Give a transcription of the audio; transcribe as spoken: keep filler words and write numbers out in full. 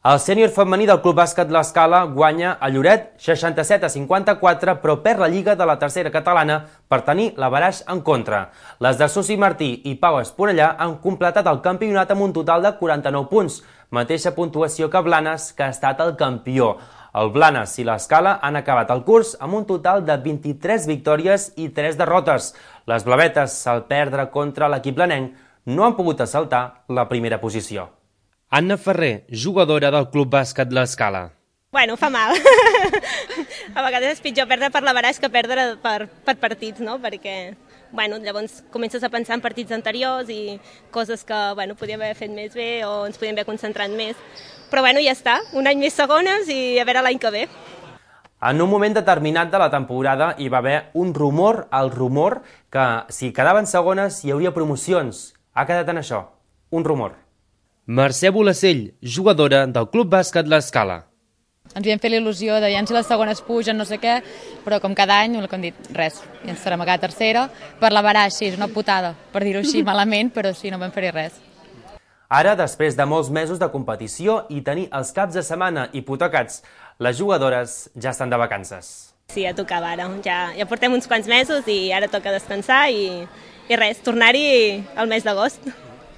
El sènior femení del Club Bàsquet L'Escala guanya a Lloret seixanta-set a cinquanta-quatre, però perd la Lliga de la tercera catalana per tenir l'averaix en contra. Les de Susi Martí i Pau Esponellà han completat el campionat amb un total de quaranta-nou punts, mateixa puntuació que Blanes, que ha estat el campió. El Blanes i l'Escala han acabat el curs amb un total de vint-i-tres victòries i tres derrotes. Les blavetes, al perdre contra l'equip blanenc, no han pogut assaltar la primera posició. Anna Ferrer, jugadora del Club Bàsquet L'Escala. Bueno, fa mal. A vegades és pitjor perdre per l'averaix que perdre per, per partits, no? Perquè, bueno, llavors comences a pensar en partits anteriors i coses que, bueno, podíem haver fet més bé o ens podíem haver concentrat més. Però, bueno, ja està. Un any més segones i a veure l'any que ve. En un moment determinat de la temporada hi va haver un rumor, el rumor, que si quedaven segones hi hauria promocions. Ha quedat en això, un rumor. Mercè Bolacell, jugadora del Club Bàsquet L'Escala. Ens havíem fet l'il·lusió de si les segones pugen, no sé què, però com cada any, el que han dit, res. I ens farem a cada tercera. Per l'averaix, sí, és una putada, per dir-ho així malament, però sí, no vam fer res. Ara, després de molts mesos de competició i tenir els caps de setmana hipotecats, les jugadores ja estan de vacances. Sí, ja tocava ara. Ja, ja portem uns quants mesos i ara toca descansar i, i res, tornar-hi al mes d'agost.